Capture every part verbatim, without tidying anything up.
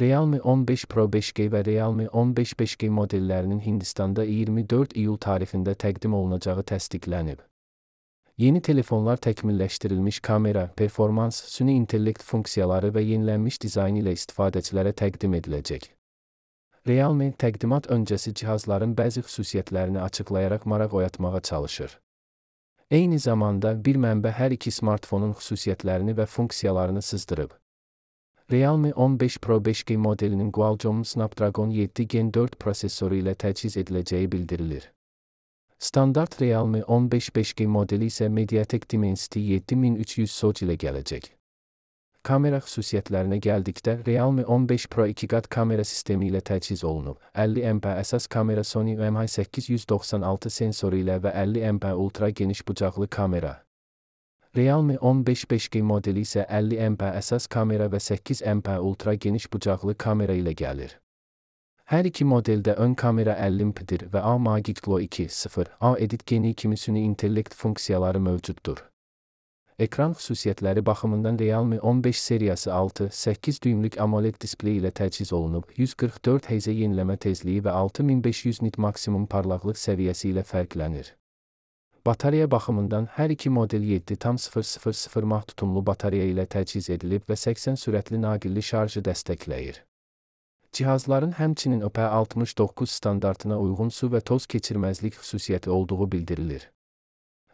Realme on beş Pro beş G və Realme on beş beş G modellərinin Hindistanda iyirmi dörd iyul tarixində təqdim olunacağı təsdiqlənib. Yeni telefonlar təkmilləşdirilmiş kamera, performans, süni intellekt funksiyaları və yenilənmiş dizayn ilə istifadəçilərə təqdim ediləcək. Realme təqdimat öncəsi cihazların bəzi xüsusiyyətlərini açıqlayaraq maraq oyatmağa çalışır. Eyni zamanda bir mənbə hər iki smartfonun xüsusiyyətlərini və funksiyalarını sızdırıb. Realme on beş Pro beş G modelinin Qualcomm Snapdragon yeddi Gen dörd prosesoru ilə təchiz ediləcəyi bildirilir. Standart Realme on beş beş G modeli isə Mediatek Dimensity yeddi min üç yüz SoC ilə gələcək. Kamera xüsusiyyətlərinə gəldikdə, Realme on beş Pro iki qat kamera sistemi ilə təchiz olunub. əlli MP əsas kamera, Sony M H səkkiz yüz doxsan altı sensoru ilə və əlli MP ultra geniş bucaqlı kamera. Realme on beş beş G modeli isə əlli MP əsas kamera və səkkiz MP ultra geniş bucaqlı kamera ilə gəlir. Hər iki modeldə ön kamera əlli MP-dir və A Magic Glow iki nöqtə sıfır A Edit Geni kimi süni intellekt funksiyaları mövcuddur. Ekran xüsusiyyətləri baxımından Realme on beş seriyası altı nöqtə səkkiz düymlük AMOLED displey ilə təchiz olunub, yüz qırx dörd Hz yeniləmə tezliyi və altı min beş yüz nit maksimum parlaqlıq səviyyəsi ilə fərqlənir. Batareya baxımından hər iki model yeddi tam sıfır sıfır sıfır mAh tutumlu batareya ilə təchiz edilib və səksən sürətli naqilli şarjı dəstəkləyir. Cihazların həmçinin I P altmış doqquz standartına uyğun su və toz keçirməzlik xüsusiyyəti olduğu bildirilir.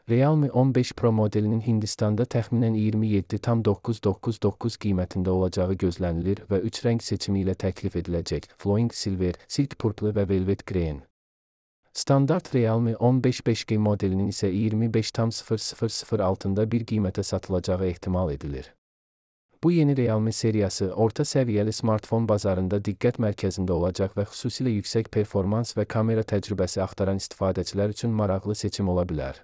Realme on beş Pro modelinin Hindistanda təxminən iyirmi yeddi tam doqquz yüz doxsan doqquz qiymətində olacağı gözlənilir və üç rəng seçimi ilə təklif ediləcək: Flowing Silver, Silk Purple və Velvet Green. Standart Realme on beş beş G modelinin isə iyirmi beş tam sıfır sıfır sıfır altında bir qiymətə satılacağı ehtimal edilir. Bu yeni Realme seriyası orta səviyyəli smartfon bazarında diqqət mərkəzində olacaq və xüsusilə yüksək performans və kamera təcrübəsi axtaran istifadəçilər üçün maraqlı seçim ola bilər.